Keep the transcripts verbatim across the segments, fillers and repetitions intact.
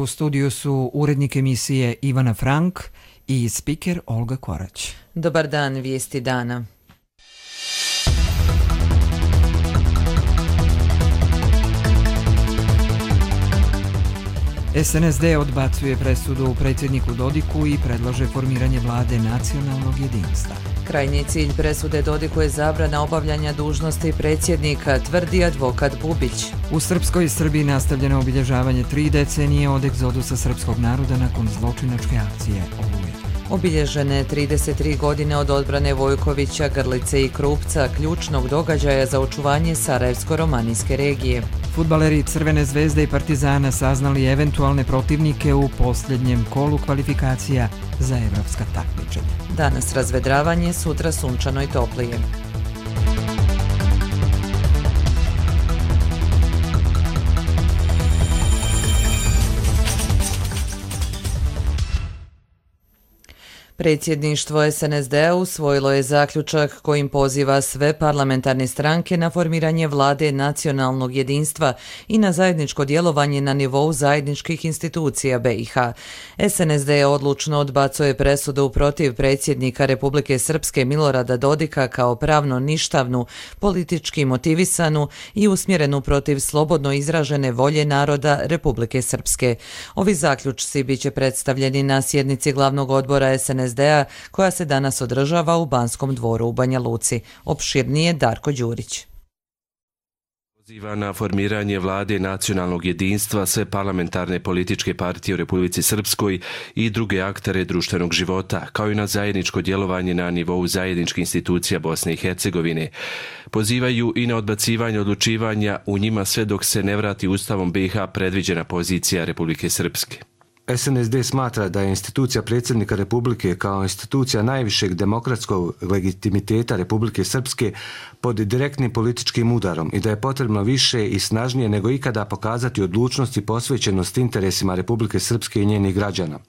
u studiju su urednik emisije Ivana Frank i spiker Olga Korać. Dobar dan, vijesti dana. S N S D odbacuje presudu predsjedniku Dodiku i predlaže formiranje vlade nacionalnog jedinstva. Krajnji cilj presude Dodiku je zabrana obavljanja dužnosti predsjednika, tvrdi advokat Bubić. U Srpskoj i Srbiji nastavljeno obilježavanje tri decenije od egzodusa srpskog naroda nakon zločinačke akcije Oluje. Obilježene trideset tri godine od odbrane Vojkovića, Grlice i Krupca, ključnog događaja za očuvanje Sarajevsko-romanijske regije. Fudbaleri Crvene zvezde i Partizana saznali eventualne protivnike u posljednjem kolu kvalifikacija za evropska takmičenja. Danas razvedravanje, sutra sunčano i toplije. Predsjedništvo S N S D-a usvojilo je zaključak kojim poziva sve parlamentarne stranke na formiranje vlade nacionalnog jedinstva i na zajedničko djelovanje na nivou zajedničkih institucija B i H. S N S D odlučno odbacuje presudu protiv predsjednika Republike Srpske Milorada Dodika kao pravno ništavnu, politički motivisanu i usmjerenu protiv slobodno izražene volje naroda Republike Srpske. Ovi zaključci biće predstavljeni na sjednici glavnog odbora S N S D-a koja se danas održava u Banskom dvoru u Banja Luci. Opširnije Darko Đurić. Poziva na formiranje vlade nacionalnog jedinstva sve parlamentarne političke partije u Republici Srpskoj i druge aktere društvenog života, kao i na zajedničko djelovanje na nivou zajedničkih institucija Bosne i Hercegovine. Pozivaju i na odbacivanje odlučivanja u njima sve dok se ne vrati Ustavom B i H predviđena pozicija Republike Srpske. S N S D smatra da je institucija predsjednika Republike kao institucija najvišeg demokratskog legitimiteta Republike Srpske pod direktnim političkim udarom i da je potrebno više i snažnije nego ikada pokazati odlučnost i posvećenost interesima Republike Srpske i njenih građana.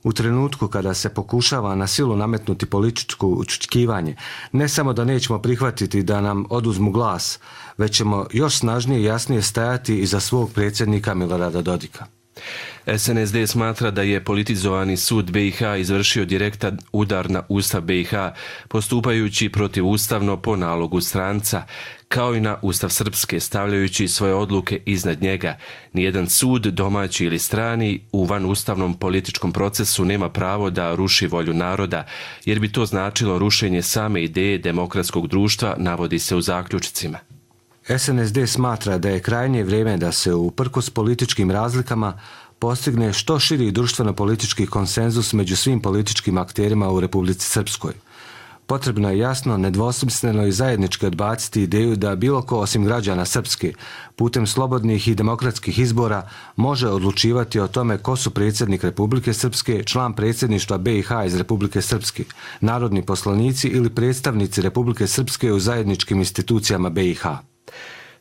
U trenutku kada se pokušava na silu nametnuti političko učutkivanje, ne samo da nećemo prihvatiti da nam oduzmu glas, već ćemo još snažnije i jasnije stajati iza svog predsjednika Milorada Dodika. S N S D smatra da je politizovani sud B i H izvršio direktan udar na Ustav B i H, postupajući protivustavno po nalogu stranca, kao i na Ustav Srpske, stavljajući svoje odluke iznad njega. Nijedan sud, domaći ili strani, u vanustavnom političkom procesu nema pravo da ruši volju naroda, jer bi to značilo rušenje same ideje demokratskog društva, navodi se u zaključcima. S N S D smatra da je krajnje vrijeme da se uprkos političkim razlikama postigne što širi društveno-politički konsenzus među svim političkim akterima u Republici Srpskoj. Potrebno je jasno, nedvosmisleno i zajednički odbaciti ideju da bilo ko osim građana Srpske putem slobodnih i demokratskih izbora može odlučivati o tome ko su predsjednik Republike Srpske, član predsjedništva B i H iz Republike Srpske, narodni poslanici ili predstavnici Republike Srpske u zajedničkim institucijama B i H.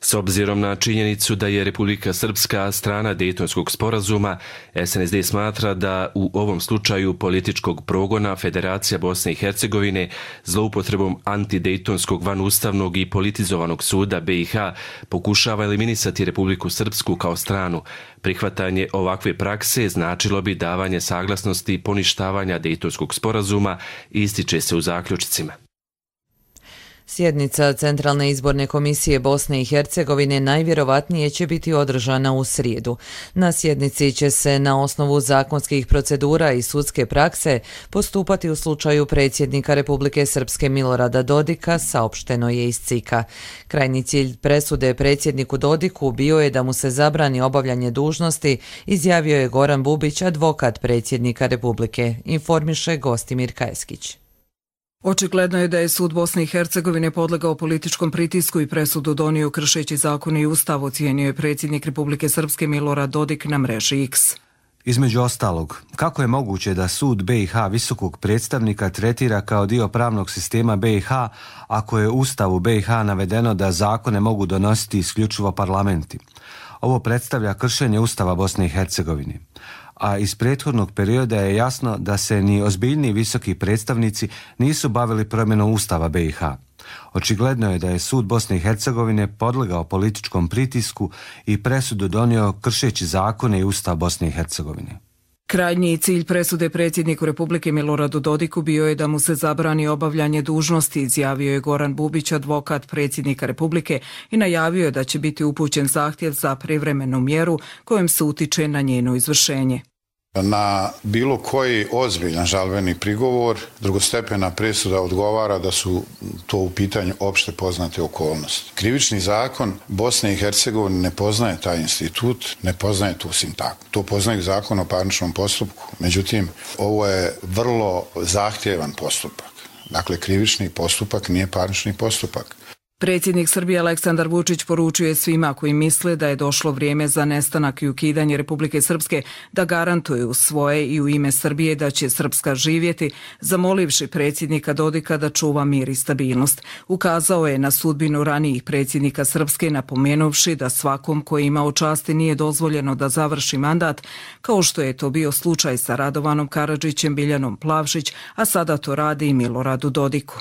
S obzirom na činjenicu da je Republika Srpska strana Dejtonskog sporazuma, S N S D smatra da u ovom slučaju političkog progona Federacija Bosne i Hercegovine zloupotrebom antidejtonskog vanustavnog i politizovanog suda B i H pokušava eliminisati Republiku Srpsku kao stranu. Prihvatanje ovakve prakse značilo bi davanje saglasnosti poništavanja Dejtonskog sporazuma, ističe se u zaključcima. Sjednica Centralne izborne komisije Bosne i Hercegovine najvjerovatnije će biti održana u srijedu. Na sjednici će se na osnovu zakonskih procedura i sudske prakse postupati u slučaju predsjednika Republike Srpske Milorada Dodika, saopšteno je iz C I K-a. Krajnji cilj presude predsjedniku Dodiku bio je da mu se zabrani obavljanje dužnosti, izjavio je Goran Bubić, advokat predsjednika Republike, informiše Gostimir Kajeskić. Očigledno je da je sud Bosne i Hercegovine podlegao političkom pritisku i presudu donio kršeći zakon i ustav, ocijenio je predsjednik Republike Srpske Milorad Dodik na mreži X. Između ostalog, kako je moguće da sud B i H visokog predstavnika tretira kao dio pravnog sistema B i H ako je u ustavu B i H navedeno da zakone mogu donositi isključivo parlamenti? Ovo predstavlja kršenje ustava Bosne i Hercegovine. a iz prethodnog perioda je jasno da se ni ozbiljni visoki predstavnici nisu bavili promjenom Ustava B i H. Očigledno je da je sud Bosne i Hercegovine podlegao političkom pritisku i presudu donio kršeći zakone i Ustav Bosne i Hercegovine. Krajnji cilj presude predsjedniku Republike Miloradu Dodiku bio je da mu se zabrani obavljanje dužnosti, izjavio je Goran Bubić, advokat predsjednika Republike, i najavio je da će biti upućen zahtjev za privremenu mjeru kojom se utiče na njeno izvršenje. Na bilo koji ozbiljan žalbeni prigovor drugostepena presuda odgovara da su to u pitanju opšte poznate okolnosti. Krivični zakon Bosne i Hercegovine ne poznaje taj institut, ne poznaje tu sintagmu. To poznaje zakon o parničnom postupku. Međutim, ovo je vrlo zahtjevan postupak. Dakle, krivični postupak nije parnični postupak. Predsjednik Srbije Aleksandar Vučić poručuje svima koji misle da je došlo vrijeme za nestanak i ukidanje Republike Srpske da garantuju u svoje i u ime Srbije da će Srpska živjeti, zamolivši predsjednika Dodika da čuva mir i stabilnost. Ukazao je na sudbinu ranijih predsjednika Srpske, napomenuvši da svakom koji ima u časti nije dozvoljeno da završi mandat, kao što je to bio slučaj sa Radovanom Karadžićem, Biljanom Plavšić, a sada to radi i Miloradu Dodiku.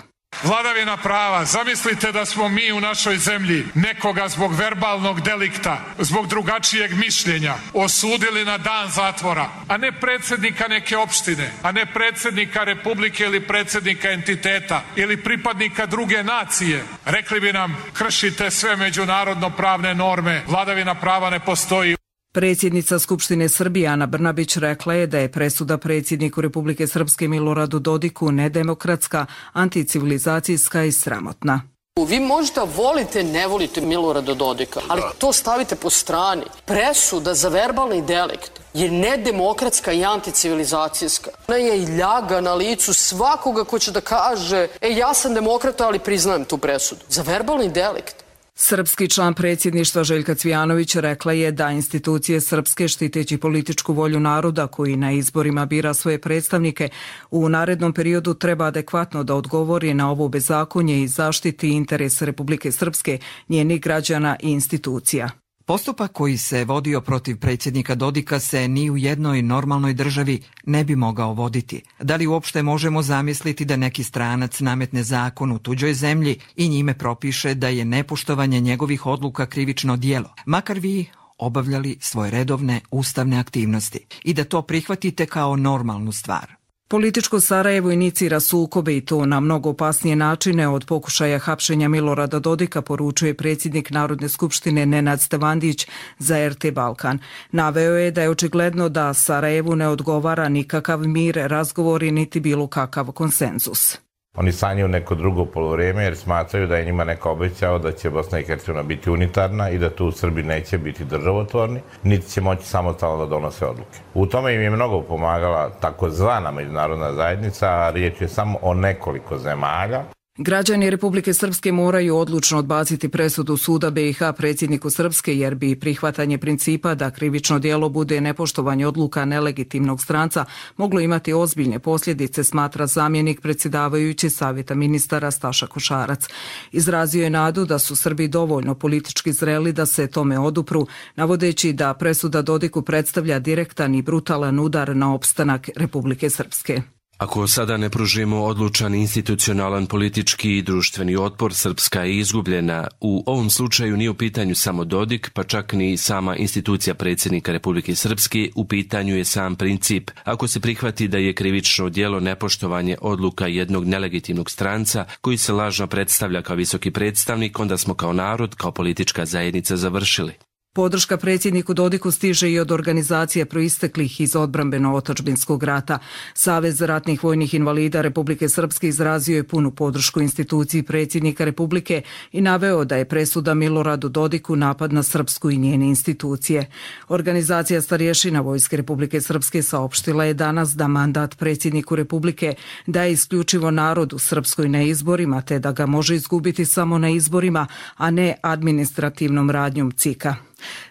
Vladavina prava. Zamislite da smo mi u našoj zemlji nekoga zbog verbalnog delikta, zbog drugačijeg mišljenja osudili na dan zatvora, a ne predsjednika neke opštine, a ne predsjednika Republike ili predsjednika entiteta ili pripadnika druge nacije. Rekli bi nam, kršite sve međunarodno pravne norme, vladavina prava ne postoji. Predsjednica Skupštine Srbije Ana Brnabić rekla je da je presuda predsjedniku Republike Srpske Miloradu Dodiku nedemokratska, anticivilizacijska i sramotna. Vi možda volite, ne volite Milorada Dodika, ali to stavite po strani. Presuda za verbalni delikt je nedemokratska i anticivilizacijska. Ona je i ljaga na licu svakoga ko će da kaže, e ja sam demokrata, ali priznajem tu presudu. Za verbalni delikt. Srpski član predsjedništva Željka Cvijanović rekla je da institucije srpske, štiteći političku volju naroda koji na izborima bira svoje predstavnike, u narednom periodu treba adekvatno da odgovori na ovo bezakonje i zaštiti interes Republike Srpske, njenih građana i institucija. Postupak koji se vodio protiv predsjednika Dodika se ni u jednoj normalnoj državi ne bi mogao voditi. Da li uopšte možemo zamisliti da neki stranac nametne zakon u tuđoj zemlji i njime propiše da je nepoštovanje njegovih odluka krivično djelo, makar vi obavljali svoje redovne ustavne aktivnosti, i da to prihvatite kao normalnu stvar? Političko Sarajevo inicira sukobe i to na mnogo opasnije načine od pokušaja hapšenja Milorada Dodika, poručuje predsjednik Narodne skupštine Nenad Stevandić za R T Balkan. Naveo je da je očigledno da Sarajevu ne odgovara nikakav mir, razgovori niti bilo kakav konsenzus. Oni sanjaju neko drugo poluvreme jer smatraju da je njima neko obećao da će Bosna i Hercegovina biti unitarna i da tu Srbi neće biti državotvorni, niti će moći samostalno da donose odluke. U tome im je mnogo pomagala takozvana međunarodna zajednica, a riječ je samo o nekoliko zemalja. Građani Republike Srpske moraju odlučno odbaciti presudu suda B i H predsjedniku Srpske, jer bi prihvatanje principa da krivično djelo bude nepoštovanje odluka nelegitimnog stranca moglo imati ozbiljne posljedice, smatra zamjenik predsjedavajući Savjeta ministara Staša Košarac. Izrazio je nadu da su Srbi dovoljno politički zreli da se tome odupru, navodeći da presuda Dodiku predstavlja direktan i brutalan udar na opstanak Republike Srpske. Ako sada ne pružimo odlučan institucionalan politički i društveni otpor, Srpska je izgubljena. U ovom slučaju nije u pitanju samo Dodik, pa čak ni sama institucija predsjednika Republike Srpske, u pitanju je sam princip. Ako se prihvati da je krivično djelo nepoštovanje odluka jednog nelegitimnog stranca koji se lažno predstavlja kao visoki predstavnik, onda smo kao narod, kao politička zajednica završili. Podrška predsjedniku Dodiku stiže i od organizacija proisteklih iz odbrambeno-otadžbinskog rata. Savez ratnih vojnih invalida Republike Srpske izrazio je punu podršku instituciji predsjednika Republike i naveo da je presuda Miloradu Dodiku napad na Srpsku i njene institucije. Organizacija starješina Vojske Republike Srpske saopštila je danas da mandat predsjedniku Republike daje isključivo narodu Srpskoj na izborima, te da ga može izgubiti samo na izborima, a ne administrativnom radnjom C I K-a.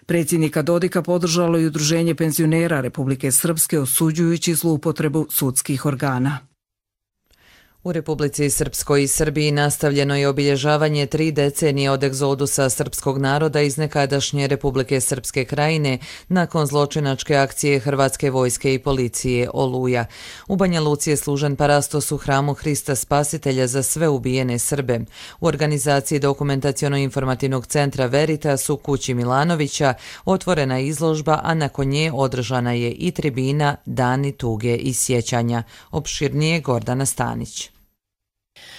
Predsjednika Dodika podržalo i Udruženje penzionera Republike Srpske, osuđujući zloupotrebu sudskih organa. U Republici Srpskoj i Srbiji nastavljeno je obilježavanje tri decenije od egzodusa srpskog naroda iz nekadašnje Republike Srpske krajine nakon zločinačke akcije Hrvatske vojske i policije Oluja. U Banja Luci je služen parastos u hramu Hrista Spasitelja za sve ubijene Srbe. U organizaciji Dokumentaciono-informativnog centra Veritas u kući Milanovića otvorena je izložba, a nakon nje održana je i tribina Dani tuge i sjećanja. Opširnije Gordana Stanić.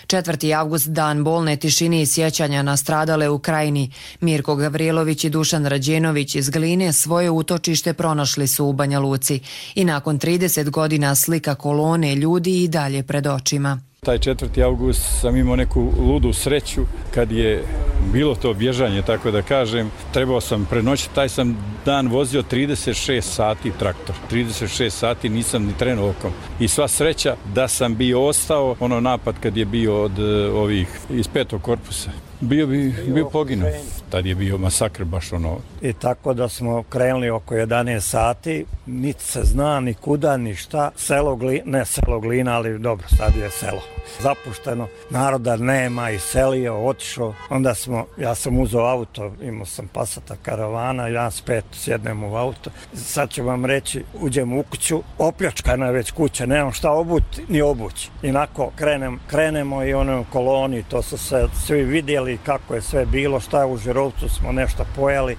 četvrti avgust, dan bolne tišine i sjećanja na stradale u Krajini. Mirko Gavrilović i Dušan Rađenović iz Gline svoje utočište pronašli su u Banja Luci i nakon trideset godina slika kolone ljudi i dalje pred očima. Taj četvrti avgust sam imao neku ludu sreću kad je bilo to bježanje, tako da kažem. Trebao sam prenoćiti, taj sam dan vozio trideset šest sati traktor. trideset šest sati nisam ni trenuo okom. I sva sreća da sam bio ostao, ono napad kad je bio od ovih iz petog korpusa. Bio bi bio poginuo. Tad je bio masakr baš ono. I tako da smo krenuli oko jedanaest sati, niti se zna ni kuda ni šta, selo Glina, ne selo Glina, ali dobro, sad je selo. Zapušteno, naroda nema, iselio, otišao. Onda smo, ja sam uzeo auto, imao sam Passata karavana, ja s pet sjednem u auto. Sad ću vam reći, uđem u kuću, opljačkana je već kuća, nemam šta obuti ni obući. Inako krenem, krenemo i ono u koloni, to su se svi vidjeli kako je sve bilo, šta je u Žirovcu, smo nešto pojeli.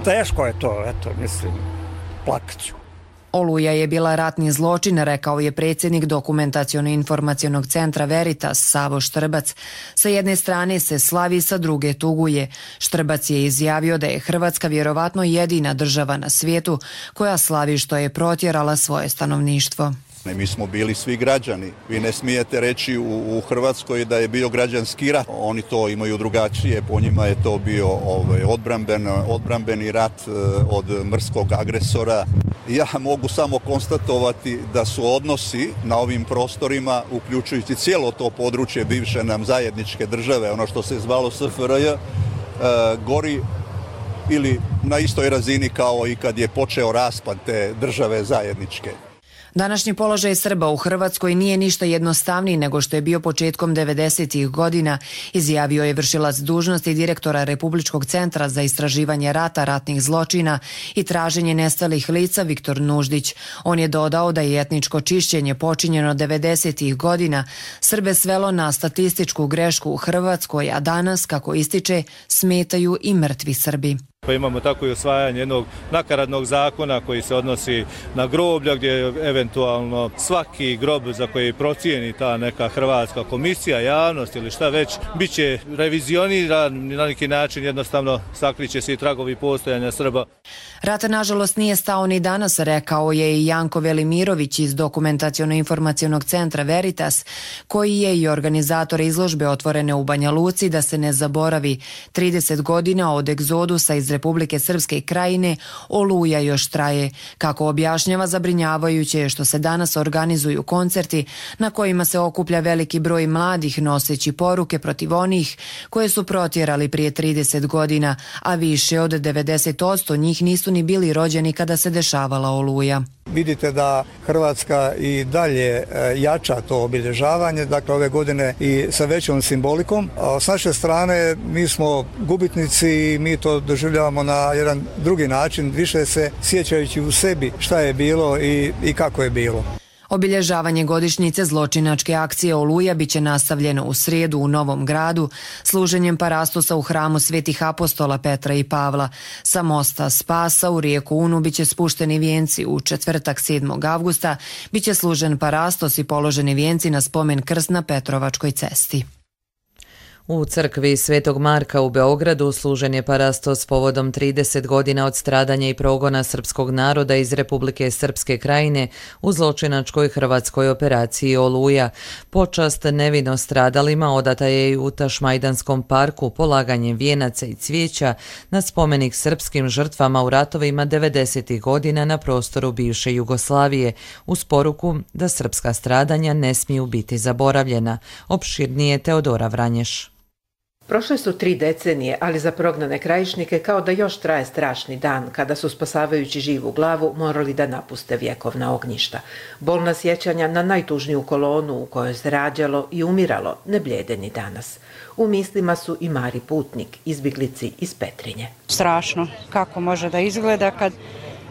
Teško je to, eto, mislim, plakaću. Oluja je bila ratni zločin, rekao je predsjednik Dokumentaciono-informacionog centra Veritas Savo Štrbac. Sa jedne strane se slavi, sa druge tuguje. Štrbac je izjavio da je Hrvatska vjerovatno jedina država na svijetu koja slavi što je protjerala svoje stanovništvo. Mi smo bili svi građani. Vi ne smijete reći u, u Hrvatskoj da je bio građanski rat. Oni to imaju drugačije. Po njima je to bio ovaj, odbramben, odbrambeni rat od mrskog agresora. Ja mogu samo konstatovati da su odnosi na ovim prostorima, uključujući cijelo to područje bivše nam zajedničke države, ono što se zvalo S F R J, gori ili na istoj razini kao i kad je počeo raspad te države zajedničke. Današnji položaj Srba u Hrvatskoj nije ništa jednostavniji nego što je bio početkom devedesetih godina, izjavio je vršilac dužnosti direktora Republičkog centra za istraživanje rata, ratnih zločina i traženje nestalih lica Viktor Nuždić. On je dodao da je etničko čišćenje počinjeno devedesetih godina Srbe svelo na statističku grešku u Hrvatskoj, a danas, kako ističe, smetaju i mrtvi Srbi. Pa imamo tako i osvajanje jednog nakaradnog zakona koji se odnosi na groblja, gdje eventualno svaki grob za koji procijeni ta neka hrvatska komisija, javnost ili šta već, bit će revizioniran na neki način, jednostavno sakriće se i tragovi postojanja Srba. Rat nažalost nije stao ni danas, rekao je i Janko Velimirović iz Dokumentaciono-informacionog centra Veritas, koji je i organizator izložbe otvorene u Banja Luci da se ne zaboravi. trideset godina od egzodusa iz Republike Srpske krajine Oluja još traje. Kako objašnjava, zabrinjavajuće je što se danas organizuju koncerti na kojima se okuplja veliki broj mladih noseći poruke protiv onih koje su protjerali prije trideset godina, a više od devedeset posto njih nisu ni bili rođeni kada se dešavala Oluja. Vidite da Hrvatska i dalje jača to obilježavanje, dakle ove godine i sa većom simbolikom. A s naše strane mi smo gubitnici i mi to doživljavamo na jedan drugi način, više se sjećajući u sebi šta je bilo i, i kako je bilo. Obilježavanje godišnjice zločinačke akcije Oluja biće nastavljeno u srijedu u Novom Gradu služenjem parastosa u hramu Svetih apostola Petra i Pavla. Sa mosta Spasa u rijeku Unu biće spušteni vijenci. U četvrtak sedmog avgusta biće služen parastos i položeni vijenci na spomen krst na Petrovačkoj cesti. U crkvi Svetog Marka u Beogradu služen je parastos povodom trideset godina od stradanja i progona srpskog naroda iz Republike Srpske krajine u zločinačkoj hrvatskoj operaciji Oluja. Počast nevino stradalima odata je i u Tašmajdanskom parku polaganjem vijenaca i cvijeća na spomenik srpskim žrtvama u ratovima devedesetih godina na prostoru bivše Jugoslavije, uz poruku da srpska stradanja ne smiju biti zaboravljena. Opširnije Teodora Vranješ. Prošle su tri decenije, ali za prognane krajišnike kao da još traje strašni dan, kada su spasavajući živu glavu morali da napuste vjekovna ognjišta. Bolna sjećanja na najtužniju kolonu u kojoj se rađalo i umiralo ne blijede ni danas. U mislima su i Mari Putnik, izbjeglici iz Petrinje. Strašno kako može da izgleda kad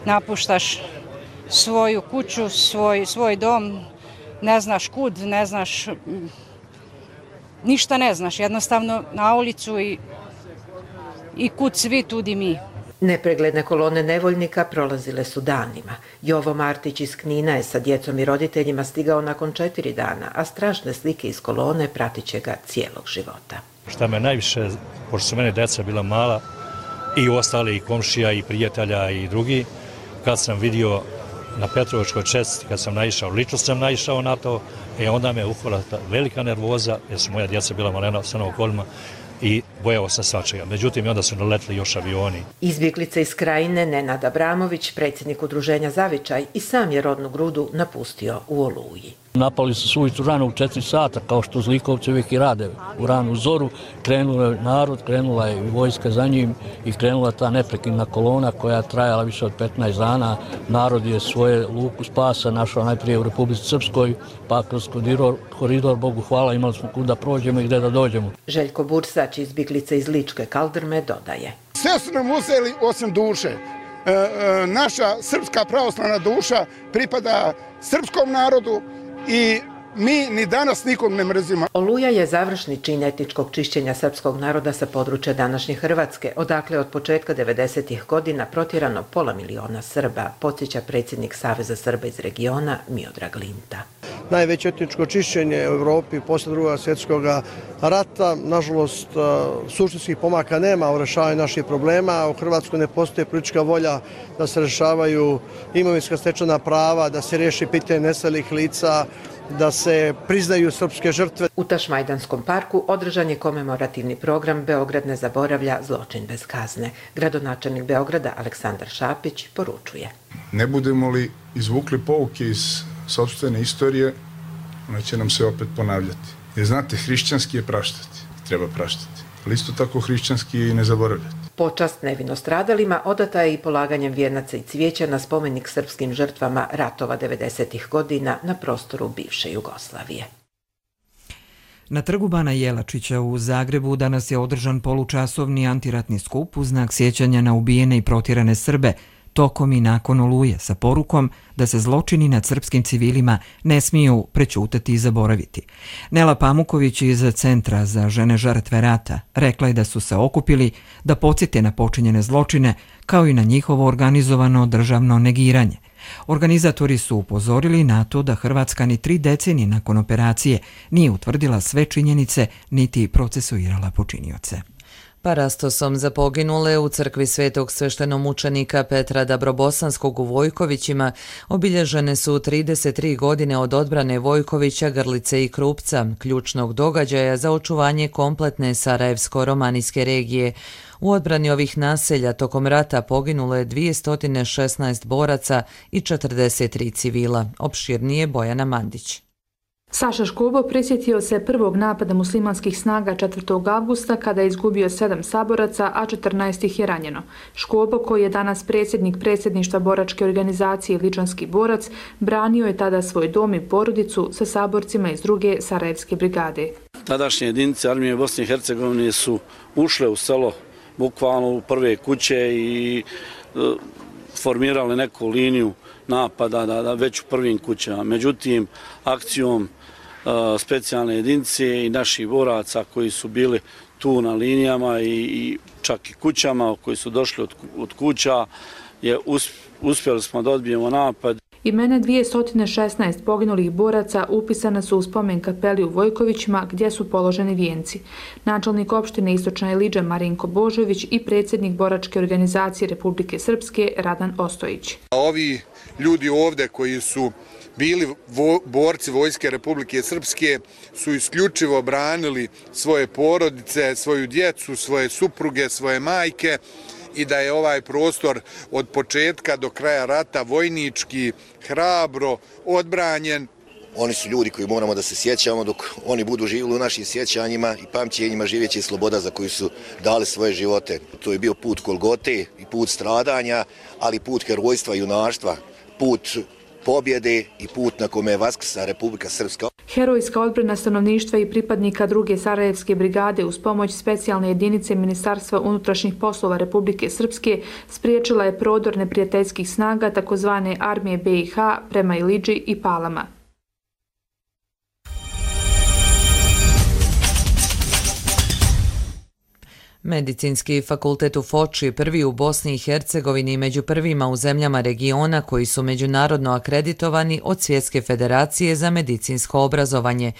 napuštaš svoju kuću, svoj, svoj dom, ne znaš kud, ne znaš... Ništa ne znaš, jednostavno na ulicu i, i kud svi, tudi mi. Nepregledne kolone nevoljnika prolazile su danima. Jovo Martić iz Knina je sa djecom i roditeljima stigao nakon četiri dana, a strašne slike iz kolone pratit će ga cijelog života. Šta me najviše, pošto su mene djeca bila mala, i ostali i komšija i prijatelja i drugi, kad sam vidio na Petrovačkoj čestici, kad sam naišao, lično sam naišao na to, e onda me uhvala velika nervoza, jer su moja djeca bila malena sa okolima i bojao sam svačega. Međutim, onda su naletili još avioni. Izbjeglica iz Krajine Nenad Abramović, predsjednik udruženja Zavičaj, i sam je rodnu Grudu napustio u Oluji. Napali su suvitu rano u četiri sata, kao što zlikovci uvijek i rade. U ranu zoru krenula je narod, krenula je vojska za njim i krenula ta neprekidna kolona koja je trajala više od petnaest dana. Narod je svoje luku spasa našao najprije u Republici Srpskoj, pa kroz koridor, koridor Bogu hvala, imali smo kuda prođemo i gdje da dođemo. Željko Bursać, izbjeglica iz Ličke Kaldrme, dodaje. Sve su nam uzeli osim duše. E, e, naša srpska pravoslavna duša pripada srpskom narodu i mi ni danas nikog ne mrzimo. Oluja je završni čin etničkog čišćenja srpskog naroda sa područja današnje Hrvatske, odakle od početka devedesetih godina protjerano pola miliona Srba, podsjeća predsjednik Saveza Srba iz regiona Miodrag Linta. Najveće etničko čišćenje u Evropi posle drugog svjetskog rata. Nažalost, suštinskih pomaka nema u rešavanju naših problema. U Hrvatskoj ne postoji politička volja da se rešavaju imovinska stečena prava, da se riješi pitanje nestalih lica, da se priznaju srpske žrtve. U Tašmajdanskom parku održan je komemorativni program Beograd ne zaboravlja, zločin bez kazne. Gradonačelnik Beograda Aleksandar Šapić poručuje. Ne budemo li izvukli pouke iz sopstvene istorije, ona će nam se opet ponavljati. Jer znate, hrišćanski je praštati, treba praštati, ali isto tako hrišćanski je i ne zaboravljati. Počast nevino stradalima odata je i polaganjem vijenaca i cvijeća na spomenik srpskim žrtvama ratova devedesetih godina na prostoru bivše Jugoslavije. Na trgu Bana Jelačića u Zagrebu danas je održan polučasovni antiratni skup u znak sjećanja na ubijene i protjerane Srbe tokom i nakon Oluje sa porukom da se zločini nad srpskim civilima ne smiju prećutati i zaboraviti. Nela Pamuković iz Centra za žene žrtve rata rekla je da su se okupili da podsjete na počinjene zločine kao i na njihovo organizovano državno negiranje. Organizatori su upozorili na to da Hrvatska ni tri decenije nakon operacije nije utvrdila sve činjenice niti procesuirala počinioce. Parastosom za poginule u crkvi svetog sveštenomučenika Petra Dabrobosanskog u Vojkovićima obilježene su trideset tri godine od odbrane Vojkovića, Grlice i Krupca, ključnog događaja za očuvanje kompletne Sarajevsko-romanijske regije. U odbrani ovih naselja tokom rata poginulo je dvjesto šesnaest boraca i četrdeset tri civila. Opširnije Bojana Mandić. Saša Škobo prisjetio se prvog napada muslimanskih snaga četvrtog avgusta kada je izgubio sedam saboraca, a četrnaest ih je ranjeno. Škobo, koji je danas predsjednik predsjedništva boračke organizacije Ličanski borac, branio je tada svoj dom i porodicu sa saborcima iz druge Sarajevske brigade. Tadašnje jedinice armije Bosne i Hercegovine su ušle u selo bukvalno u prve kuće i e, formirale neku liniju napada da, da već u prvim kućama. Međutim, akcijom specijalne jedinice i naših boraca koji su bili tu na linijama i, i čak i kućama koji su došli od, od kuća, je uspjeli smo da odbijemo napad. Imena dvjesto šesnaest poginulih boraca upisana su u spomen kapeli u Vojkovićima gdje su položeni vijenci. Načelnik opštine Istočna Ilidža Marinko Božović i predsjednik boračke organizacije Republike Srpske Radan Ostojić. Ovi ljudi ovdje koji su bili vo, borci Vojske Republike Srpske su isključivo branili svoje porodice, svoju djecu, svoje supruge, svoje majke i da je ovaj prostor od početka do kraja rata vojnički, hrabro, odbranjen Oni su ljudi koji moramo da se sjećamo, dok oni budu živjeli u našim sjećanjima i pamćenjima, živjeće sloboda za koju su dali svoje živote. To je bio put Golgote i put stradanja, ali put herojstva i junaštva, put pobjede i put na kome je vaskrsa Republika Srpska. Herojska odbrana stanovništva i pripadnika druge Sarajevske brigade uz pomoć specijalne jedinice Ministarstva unutrašnjih poslova Republike Srpske spriječila je prodor neprijateljskih snaga takozvane armije B i H prema Ilidži i Palama. Medicinski fakultet u Foči, prvi u Bosni i Hercegovini, među prvima u zemljama regiona koji su međunarodno akreditovani od Svjetske federacije za medicinsko obrazovanje.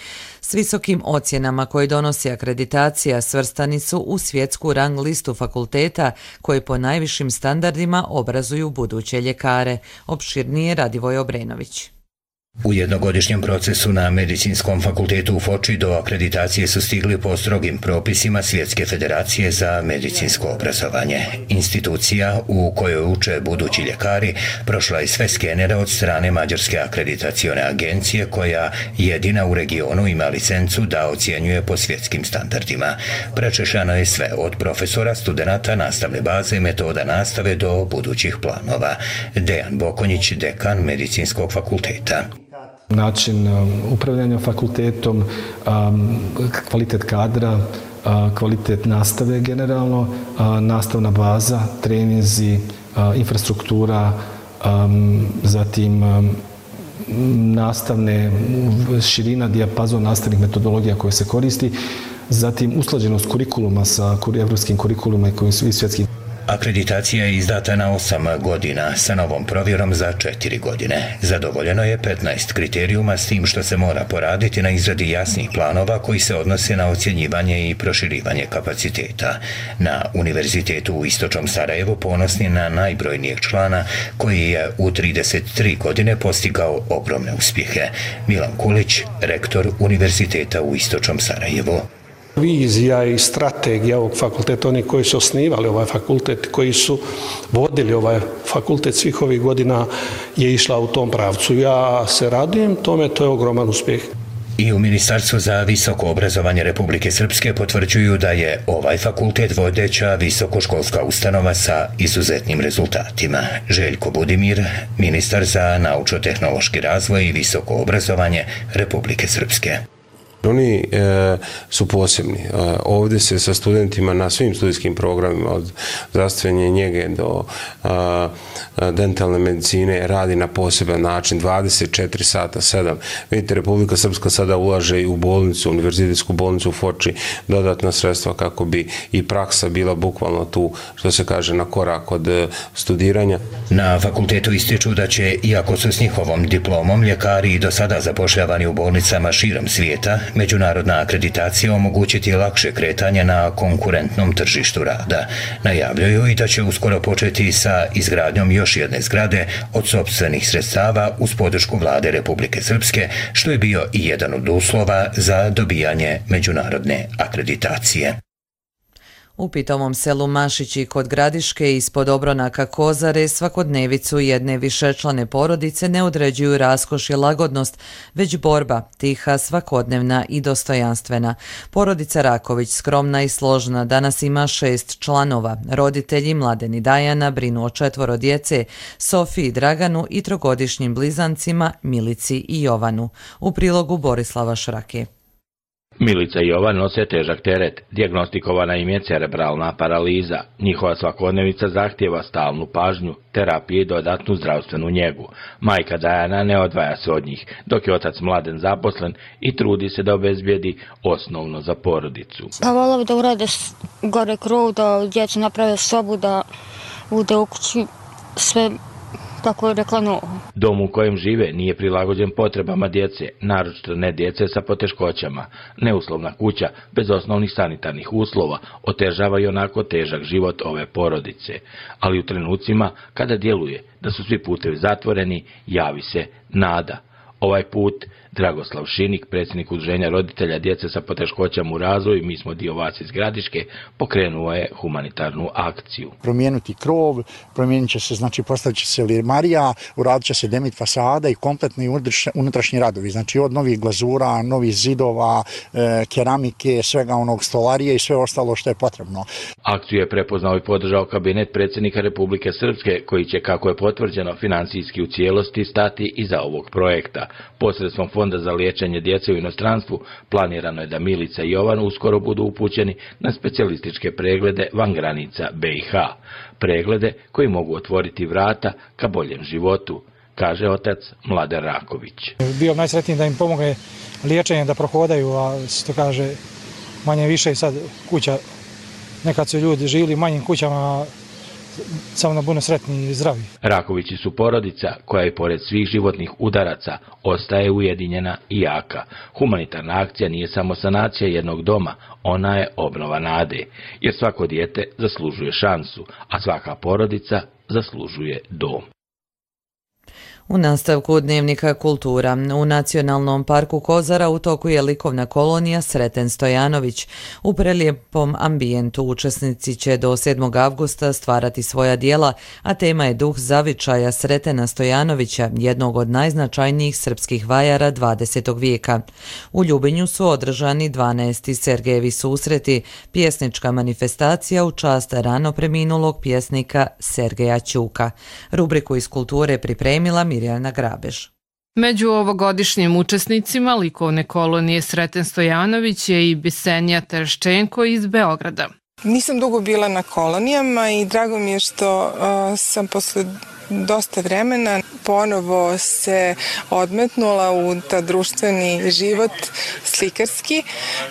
S visokim ocjenama koje donosi akreditacija svrstani su u svjetsku rang listu fakulteta koje po najvišim standardima obrazuju buduće ljekare. Opširnije Radivoj Obrenović. U jednogodišnjem procesu na Medicinskom fakultetu u Foči do akreditacije su stigli po strogim propisima Svjetske federacije za medicinsko obrazovanje. Institucija u kojoj uče budući ljekari prošla je sve skenere od strane Mađarske akreditacione agencije koja jedina u regionu ima licencu da ocjenjuje po svjetskim standardima. Prečešano je sve od profesora, studenata, nastavne baze, metoda nastave do budućih planova. Dejan Bokonjić, dekan Medicinskog fakulteta. Način upravljanja fakultetom, kvalitet kadra, kvalitet nastave generalno, nastavna baza, treninzi, infrastruktura, zatim nastavne širina, dijapazon nastavnih metodologija koje se koristi, zatim usklađenost kurikuluma sa evropskim kurikuluma i svjetskim. Akreditacija je izdata na osam godina, sa novom provjerom za četiri godine. Zadovoljeno je petnaest kriterijuma, s tim što se mora poraditi na izradi jasnih planova koji se odnose na ocjenjivanje i proširivanje kapaciteta. Na Univerzitetu u Istočnom Sarajevu ponosni na najbrojnijeg člana koji je u trideset tri godine postigao ogromne uspjehe. Milan Kulić, rektor Univerziteta u Istočnom Sarajevu. Vizija i strategija ovog fakulteta, oni koji su osnivali ovaj fakultet, koji su vodili ovaj fakultet svih ovih godina je išla u tom pravcu. Ja se radujem tome, to je ogroman uspjeh. I u Ministarstvu za visoko obrazovanje Republike Srpske potvrđuju da je ovaj fakultet vodeća visokoškolska ustanova sa izuzetnim rezultatima. Željko Budimir, ministar za naučno-tehnološki razvoj i visoko obrazovanje Republike Srpske. Oni e, su posebni. E, ovdje se sa studentima na svim studijskim programima od zdravstvene njege do a, a, dentalne medicine radi na poseban način, dvadeset četiri sata, sedam. Vidite, Republika Srpska sada ulaže i u bolnicu, univerzitetsku bolnicu u Foči, dodatna sredstva kako bi i praksa bila bukvalno tu, što se kaže, na korak od studiranja. Na fakultetu ističu da će, iako su s njihovom diplomom ljekari i do sada zapošljavani u bolnicama širom svijeta, međunarodna akreditacija omogućiti lakše kretanje na konkurentnom tržištu rada. Najavljuju i da će uskoro početi sa izgradnjom još jedne zgrade od sopstvenih sredstava uz podršku vlade Republike Srpske, što je bio i jedan od uslova za dobijanje međunarodne akreditacije. U pitovom selu Mašići kod Gradiške ispod obronaka Kozare svakodnevicu jedne višečlane porodice ne određuju raskoš i lagodnost, već borba, tiha, svakodnevna i dostojanstvena. Porodica Raković, skromna i složna, danas ima šest članova. Roditelji Mladen i Dajana brinu o četvoro djece, Sofiji, Draganu i trogodišnjim blizancima Milici i Jovanu. U prilogu Borislava Šrake. Milica i Jovan nose težak teret, dijagnostikovana im je cerebralna paraliza. Njihova svakodnevica zahtijeva stalnu pažnju, terapiju i dodatnu zdravstvenu njegu. Majka Dajana ne odvaja se od njih, dok je otac Mladen zaposlen i trudi se da obezbijedi osnovno za porodicu. Pa volao da urade gore krov, da djecu naprave sobu, da bude u kući sve kako je rekla novo. Dom u kojem žive nije prilagođen potrebama djece, naročito ne djece sa poteškoćama. Neuslovna kuća, bez osnovnih sanitarnih uslova, otežava i onako težak život ove porodice. Ali u trenucima, kada djeluje da su svi putevi zatvoreni, javi se nada. Ovaj put Dragoslav Šinik, predsjednik udruženja roditelja djece sa poteškoćama u razvoju, mi smo dio vas iz Gradiške, pokrenuo je humanitarnu akciju. Promijeniti krov, promijenit će se, znači postavit će se limarija, uradit će se demit fasada i kompletni unutrašnji radovi, znači od novih glazura, novih zidova, e, keramike, svega onog stolarije i sve ostalo što je potrebno. Akciju je prepoznao i podržao kabinet predsjednika Republike Srpske, koji će, kako je potvrđeno, financijski u cijelosti stati iza ovog projekta. Posredstvom Fonda za liječenje djece u inostranstvu planirano je da Milica i Jovan uskoro budu upućeni na specijalističke preglede van granica B i H. Preglede koji mogu otvoriti vrata ka boljem životu, kaže otac Mladen Raković. Bio najsretniji da im pomogne liječenje, da prohodaju, a što kaže manje više sad kuća, nekad su ljudi živjeli u manjim kućama, samo da budu sretni i zdravi. Rakovići su porodica koja i pored svih životnih udaraca ostaje ujedinjena i jaka. Humanitarna akcija nije samo sanacija jednog doma, ona je obnova nade, jer svako dijete zaslužuje šansu, a svaka porodica zaslužuje dom. U nastavku Dnevnika kultura, u Nacionalnom parku Kozara u toku je likovna kolonija Sreten Stojanović. U prelijepom ambijentu učesnici će do sedmog avgusta stvarati svoja djela, a tema je duh zavičaja Sretena Stojanovića, jednog od najznačajnijih srpskih vajara dvadesetog vijeka. U Ljubinju su održani dvanaesti Sergejevi susreti, pjesnička manifestacija u čast rano preminulog pjesnika Sergeja Ćuka. Rubriku iz kulture pripremila Mirjana Grabež. Među ovogodišnjim učesnicima likovne kolonije Sreten Stojanović je i Bisenija Terščenko iz Beograda. Nisam dugo bila na kolonijama i drago mi je što uh, sam posle dosta vremena ponovo se odmetnula u ta društveni život slikarski,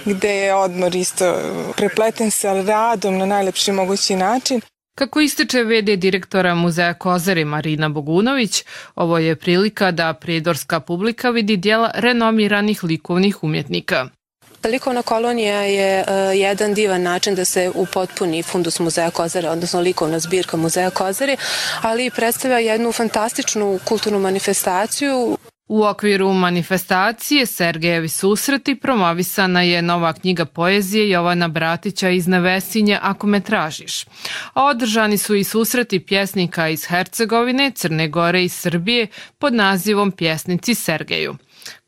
gde je odmor isto prepleten sa radom na najlepši mogući način. Kako ističe ve de direktora Muzeja Kozare Marina Bogunović, ovo je prilika da prijedorska publika vidi djela renomiranih likovnih umjetnika. Likovna kolonija je uh, jedan divan način da se upotpuni fundus Muzeja Kozare, odnosno likovna zbirka Muzeja Kozare, ali predstavlja jednu fantastičnu kulturnu manifestaciju. U okviru manifestacije Sergejevi susreti promovisana je nova knjiga poezije Jovana Bratića iz Nevesinje Ako me tražiš. A održani su i susreti pjesnika iz Hercegovine, Crne Gore i Srbije pod nazivom Pjesnici Sergeju.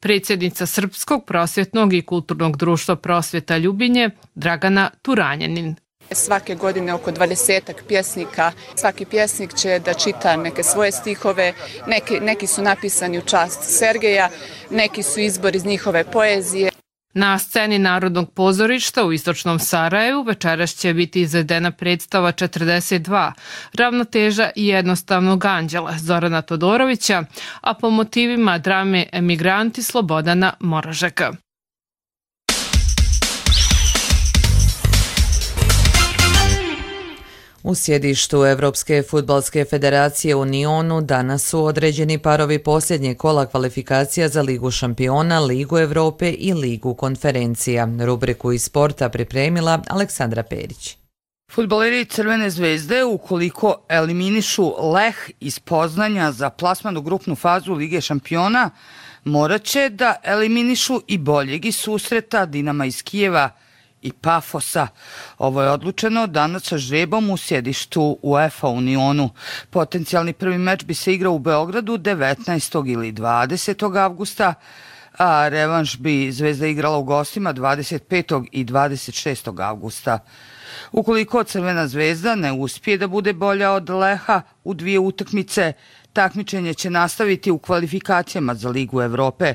Predsjednica Srpskog prosvjetnog i kulturnog društva Prosvjeta Ljubinje, Dragana Turanjanin. Svake godine oko dvadesetak pjesnika. Svaki pjesnik će da čita neke svoje stihove, neki, neki su napisani u čast Sergeja, neki su izbor iz njihove poezije. Na sceni Narodnog pozorišta u istočnom Sarajevu večeras će biti izvedena predstava četrdeset dva, ravnoteža i jednostavnog anđela Zorana Todorovića, a po motivima drame Emigranti Slobodana Moražeka. U sjedištu Evropske fudbalske federacije u Nionu danas su određeni parovi posljednje kola kvalifikacija za Ligu šampiona, Ligu Evrope i Ligu konferencija. Rubriku iz sporta pripremila Aleksandra Perić. Fudbaleri Crvene zvezde, ukoliko eliminišu Leh iz Poznanja za plasman u grupnu fazu Lige šampiona, morat će da eliminišu i boljeg iz susreta Dinama iz Kijeva i Pafosa. Ovo je odlučeno danas sa žrebom u sjedištu UEFA u Nionu. Potencijalni prvi meč bi se igrao u Beogradu devetnaestog ili dvadesetog avgusta, a revanš bi Zvezda igrala u gostima dvadeset petog i dvadeset šestog avgusta. Ukoliko Crvena zvezda ne uspije da bude bolja od Leha u dvije utakmice, takmičenje će nastaviti u kvalifikacijama za Ligu Evrope.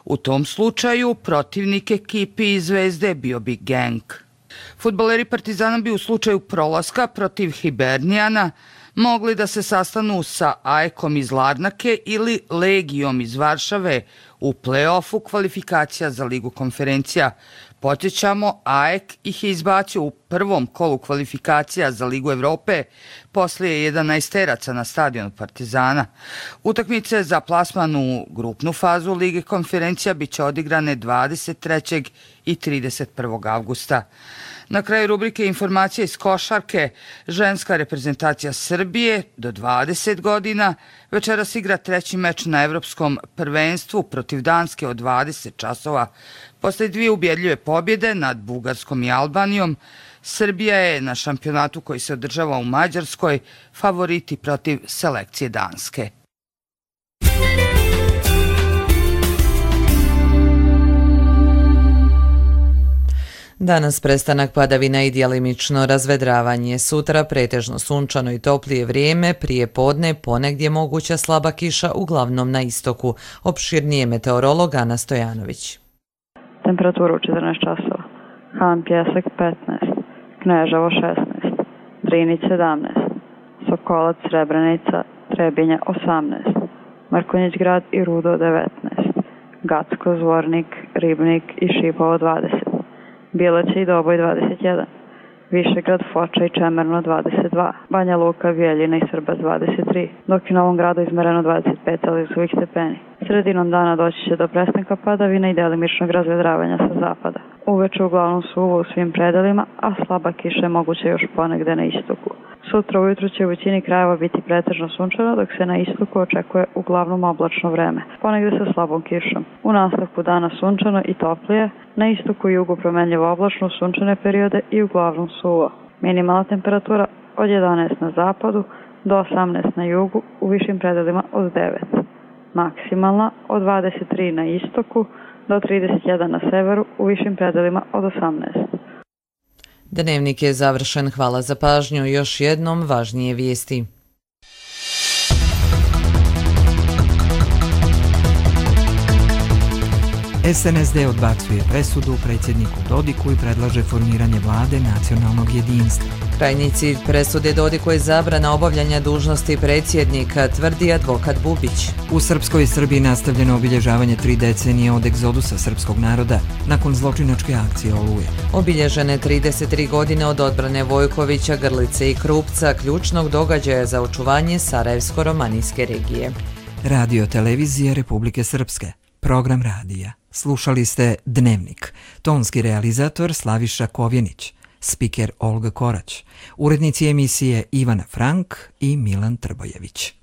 U tom slučaju protivnik ekipi iz Zvezde bio bi Genk. Fudbaleri Partizana bi u slučaju prolaska protiv Hibernijana mogli da se sastanu sa A E K-om iz Larnake ili Legijom iz Varšave u play-offu kvalifikacija za Ligu konferencija. Podsjećamo, A E K ih je izbacio u prvom kolu kvalifikacija za Ligu Evrope poslije jedanaesteraca na stadionu Partizana. Utakmice za plasman u grupnu fazu Lige konferencija bit će odigrane dvadeset trećeg i trideset prvog avgusta. Na kraju rubrike informacije iz košarke, ženska reprezentacija Srbije do dvadeset godina večeras igra treći meč na evropskom prvenstvu protiv Danske od dvadeset časova. Posle dvije ubjedljive pobjede nad Bugarskom i Albanijom, Srbija je na šampionatu koji se održava u Mađarskoj favoriti protiv selekcije Danske. Danas prestanak padavina i djelimično razvedravanje. Sutra pretežno sunčano i toplije vrijeme, prije podne ponegdje moguća slaba kiša, uglavnom na istoku. Opširnije meteorolog Ana Stojanović. Temperatura u četrnaest časova. Han Pjesak petnaest, Kneževo šesnaest, Drinić sedamnaest, Sokolac, Srebrenica, Trebinje osamnaest, Mrkonjić grad i Rudo devetnaest, Gacko, Zvornik, Ribnik i Šipovo dvadeset, Bileće i Doboj dvadeset jedan, Višegrad, Foča i Čemerno dvadeset dva, Banja Luka, Bijeljina i Srbac dvadeset tri, dok je u Novom Gradu izmereno dvadeset pet Celzijusovih stepeni. Sredinom dana doći će do prestanka padavina i delimičnog razvedravanja sa zapada. Uveče uglavnom suvo u svim predelima, a slaba kiša je moguća još ponegde na istoku. Sutra ujutru će u većini krajeva biti pretežno sunčano, dok se na istoku očekuje uglavnom oblačno vreme, ponegde sa slabom kišom. U nastavku dana sunčano i toplije, na istoku i jugu promenljivo oblačno sunčane periode i uglavnom suvo. Minimalna temperatura od jedanaest na zapadu do osamnaest na jugu, u višim predelima od devet. Maksimalna od dvadeset tri na istoku do trideset jedan na severu, u višim predelima od osamnaest. Dnevnik je završen. Hvala za pažnju. Još jednom važnije vijesti. S N S D odbacuje presudu predsjedniku Dodiku i predlaže formiranje vlade nacionalnog jedinstva. Krajnji cilj presude Dodiku je zabrana obavljanja dužnosti predsjednika, tvrdi advokat Bubić. U Srpskoj Srbiji nastavljeno obilježavanje tri decenije od egzodusa srpskog naroda nakon zločinačke akcije Oluje. Obilježene trideset tri godine od odbrane Vojkovića, Grlice i Krupca, ključnog događaja za očuvanje Sarajevsko-romanijske regije. Radio televizije Republike Srpske. Program radija. Slušali ste Dnevnik. Tonski realizator Slaviša Kovjenić. Spiker Olga Korać. Urednici emisije Ivana Frank i Milan Trbojević.